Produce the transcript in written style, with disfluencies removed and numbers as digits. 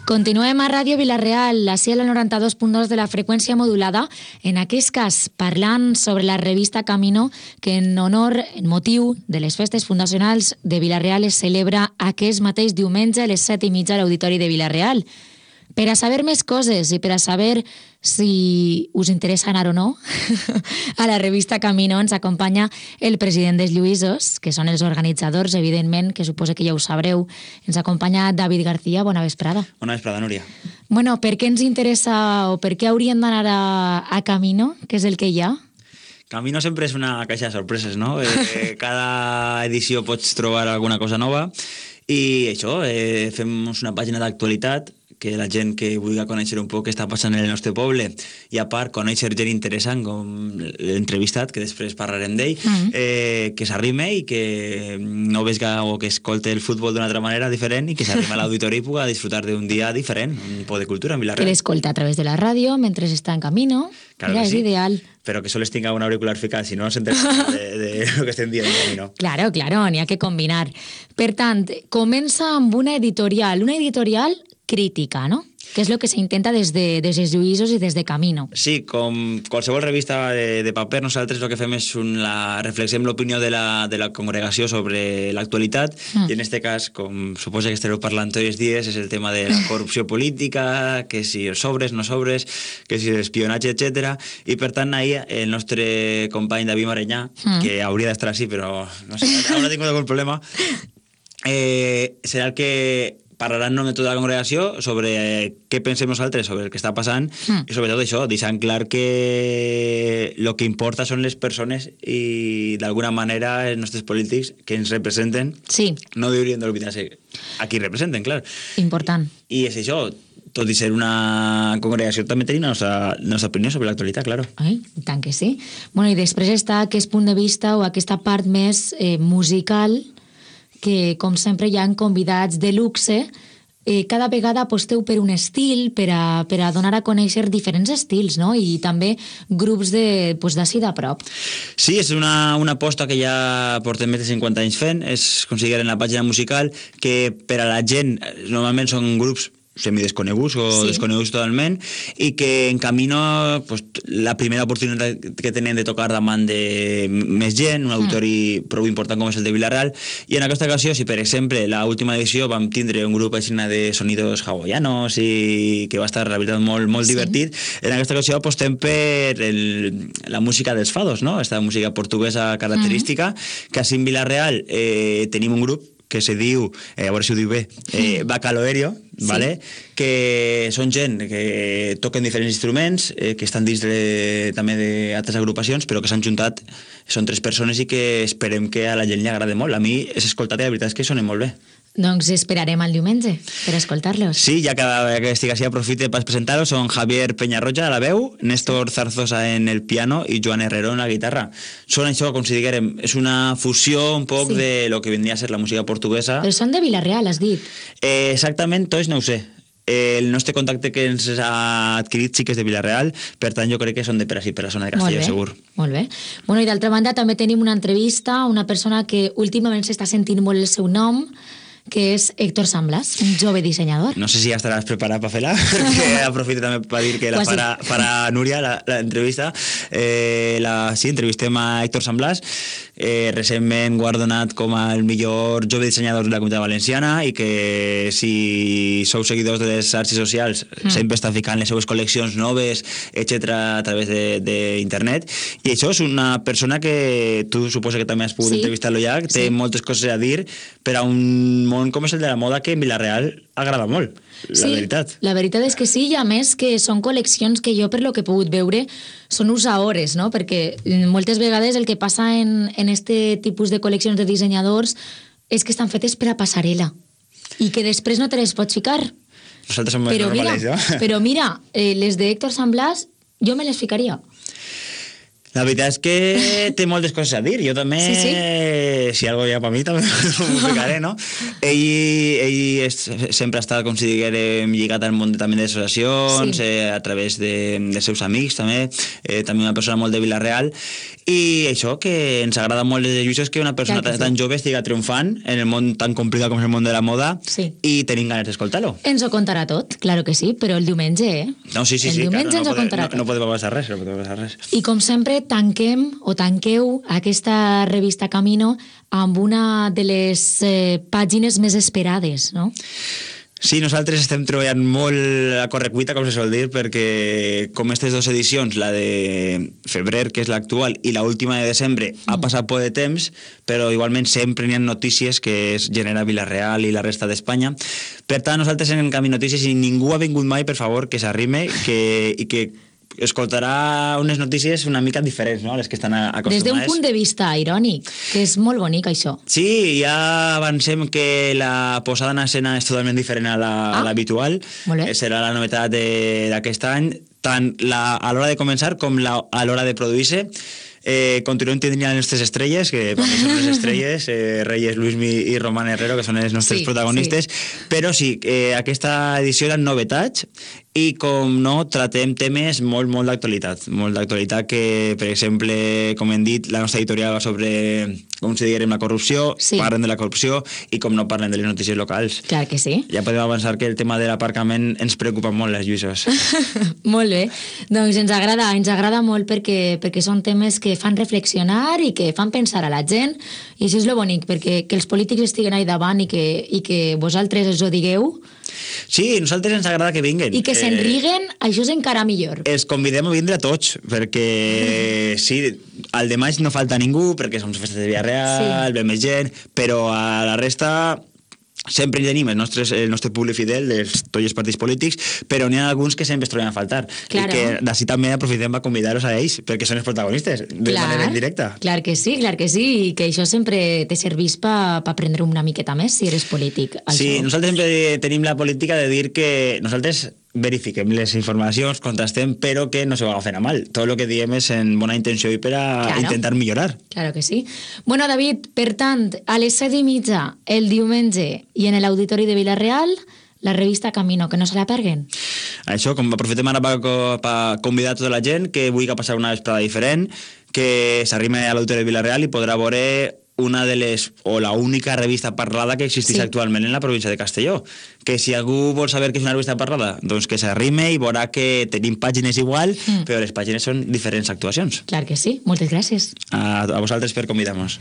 Continuem a Ràdio Vila-real, així a la 92.2 de la freqüència modulada, en aquest cas parlant sobre la revista Camino, que en motiu de les festes fundacionals de Vila-real es celebra aquest mateix diumenge a les 7:30 a l'Auditori de Vila-real. Per a saber més coses i per a saber si us interessa anar o no, a la revista Camino ens acompanya el president dels Lluïsos, que són els organitzadors, evidentment, que suposo que ja ho sabreu. Ens acompanya David García. Bona vesprada. Bona vesprada, Núria. Bueno, per què ens interessa o per què hauríem d'anar a Camino? Què és el que hi ha? Camino sempre és una caixa de sorpreses, no? Cada edició pots trobar alguna cosa nova i això, fem una pàgina d'actualitat que la gent que vulgui conèixer un poc què està passant en el nostre poble i a part conèixer gent interessant com l'entrevistat, que després parlarem d'ell, que s'arrime i que no vesga o que escolte el futbol d'una altra manera diferent i que s'arrime a l'auditori i puga disfrutar d'un dia diferent, un poc de cultura en Vila-real. Que l'escolta a través de la ràdio mentre està en Camino. Claro. Mira, és sí. Ideal. Però que sols tinga un auricular ficat, si no s'entén de lo que estem dient en Camino. Claro, n'hi ha que combinar. Per tant, comença amb una editorial crítica, no? Que és el que s'intenta des dels Lluïsos i des de Camino. Sí, com qualsevol revista de paper, nosaltres el que fem és reflexem l'opinió de la congregació sobre l'actualitat i en aquest cas, com suposa que estareu parlant tots els dies, és el tema de la corrupció política, que si els sobres, no sobres, que si l'espionatge, etc. I per tant, ahir el nostre company David Marenyà, que hauria d'estar així, però no sé, ara ha tingut algun problema, serà el que parlarà en nom de tota la congregació sobre què pensem nosaltres sobre el que està passant i sobretot això, deixant clar que el que importa són les persones i d'alguna manera els nostres polítics que ens representen no haurien d'oblidar-se a qui representen, clar. Important. I és això, tot i ser una congregació també tenim la nostra opinió sobre l'actualitat, claro. Ai, tant que sí. Bueno, i després està aquest punt de vista o aquesta part més musical que, com sempre, hi ha convidats de luxe. Cada vegada aposteu per un estil, per a donar a conèixer diferents estils, no? I també grups d'ací de prop. Sí, és una aposta que ja portem més de 50 anys fent, es considera en la pàgina musical, que per a la gent normalment són grups semidesconeguts o desconeguts totalment i que en Camino la primera oportunitat que tenen de tocar davant de més gent, un auditori prou important com és el de Vila-real, i en aquesta ocasió, si per exemple l'última edició vam tindre un grup així de sonidos hawaianos i que va estar la veritat molt divertit, en aquesta ocasió apostem per la música dels fados, no? Aquesta música portuguesa característica, que així en Vila-real tenim un grup que se diu, a veure si ho diu bé, Bacaloerio, vale? Que són gent que toquen diferents instruments, que estan dins també d'altres agrupacions, però que s'han juntat, són 3 persones i que esperem que a la gent li agrada molt. A mi és escoltat i la veritat és que sonen molt bé. Doncs esperarem el diumenge per escoltar-los. Sí, ja que estic així aprofite per presentar-los. Són Javier Peñarroja a la veu, Néstor Zarzosa en el piano i Joan Herrero en la guitarra. Són això, com si diguérem, és una fusió un poc de lo que vendria a ser la música portuguesa. Però són de Vila-real, has dit. Exactament, tots no ho sé. El nostre contacte que ens ha adquirit sí que és de Vila-real, per tant jo crec que són de per la zona de Castelló, segur. Molt bé. Bueno, i d'altra banda també tenim una entrevista a una persona que últimament s'està sentint molt el seu nom, que és Héctor Samblas, un jove dissenyador. No sé si ja estaràs preparat per fer-la, perquè aprofito també per dir que la farà Núria, l'entrevista. Sí, entrevistem a Héctor Samblas, recentment guardonat com el millor jove dissenyador de la Comunitat Valenciana i que si sou seguidors de les xarxes socials sempre està ficant les seues col·leccions noves, etc. a través d'internet. I això és una persona que tu suposa que també has pogut entrevistar-lo ja, que té moltes coses a dir per a un món com és el de la moda que en Vila-real agrada molt, veritat. La veritat és que sí, i a més que són col·leccions que jo, per lo que he pogut veure, són usaores, no? Perquè moltes vegades el que passa en este tipus de col·leccions de dissenyadors és que estan fetes per a passarel·la i que després no te les pots ficar. Nosaltres som més normals, no? Però mira, les de Héctor Samblas jo me les ficaria. La veritat és que té moltes coses a dir. Jo també, si algo hi ha per mi, també ho ficaré, no? Ell sempre ha estat, com si diguem, lligat al món també d'associacions, a través dels seus amics, també una persona molt de Vila-real, i això, que ens agrada molt de Lluís, que una persona tan jove estiga triomfant en el món tan complicat com és el món de la moda, i tenim ganes d'escoltar-lo. Ens ho contarà tot, claro que sí, però el diumenge, No, sí, el diumenge ens ho contarà tot. No podem passar res, I com sempre, tanqueu aquesta revista Camino amb una de les pàgines més esperades, no? Sí, nosaltres estem treballant molt a correcuita, com se sol dir, perquè com aquestes dues edicions, la de febrer, que és l'actual, i l'última de desembre, ha passat poc de temps, però igualment sempre n'hi ha notícies que es genera Vila-real i la resta d'Espanya. Per tant, nosaltres en Camí Notícies, i ningú ha vingut mai, per favor, que s'arrime i que escoltarà unes notícies una mica diferents, no?, a les que estan acostumades. Des d'un punt de vista irònic, que és molt bonic, això. Sí, ja avancem que la posada en escena és totalment diferent a l'habitual. Serà la novetat d'aquest any, tant a l'hora de començar com a l'hora de produir-se. Continuem tenint les nostres estrelles, que per mi són les estrelles, Reyes, Luismi i Román Herrero, que són els nostres protagonistes, però sí, aquesta edició eren novetats, i com no, tratem temes molt d'actualitat, que per exemple, com hem dit, la nostra editorial va sobre, com si diguem, la corrupció, parlen de la corrupció, i com no parlen de les notícies locals. Clar que sí. Ja podem avançar que el tema de l'aparcament ens preocupa molt, les Lluïsos. Molt bé, doncs ens agrada molt perquè són temes que fan reflexionar i que fan pensar a la gent, i això és lo bonic, perquè que els polítics estiguen ahí davant i que vosaltres els ho digueu. Sí, a nosaltres ens agrada que vinguen. I que se'n riguen, això és encara millor. Els convidem a vindre a tots, perquè sí, al de maig no falta ningú, perquè som festes de Vila-real, ve més gent, però a la resta sempre hi tenim el nostre públic fidel de tots els partits polítics, però n'hi ha alguns que sempre es troben a faltar. I que d'ací també aprofitem per convidar-los a ells, perquè són els protagonistes, de manera indirecta. Clar que sí, i que això sempre te servís per aprendre una miqueta més, si eres polític. Sí, nosaltres sempre tenim la política de dir que nosaltres verifiquem les informacions, contrastem, però que no se ho agafen a mal. Tot el que diem és en bona intenció i per a intentar millorar. Claro que sí. Bueno, David, per tant, a les 7:30 el diumenge i en l'Auditori de Vila-real, la revista Camino, que no se la perguen. Això, com aprofitem ara per convidar tota la gent que vulgui passar una vesprada diferent, que s'arrime a l'Auditori de Vila-real i podrà veure una de les, o la única revista parlada que existeix actualment en la província de Castelló. Que si algú vol saber què és una revista parlada, doncs que s'arrime i veurà que tenim pàgines igual, però les pàgines són diferents actuacions. Clar que sí. Moltes gràcies. A vosaltres per convidar-nos.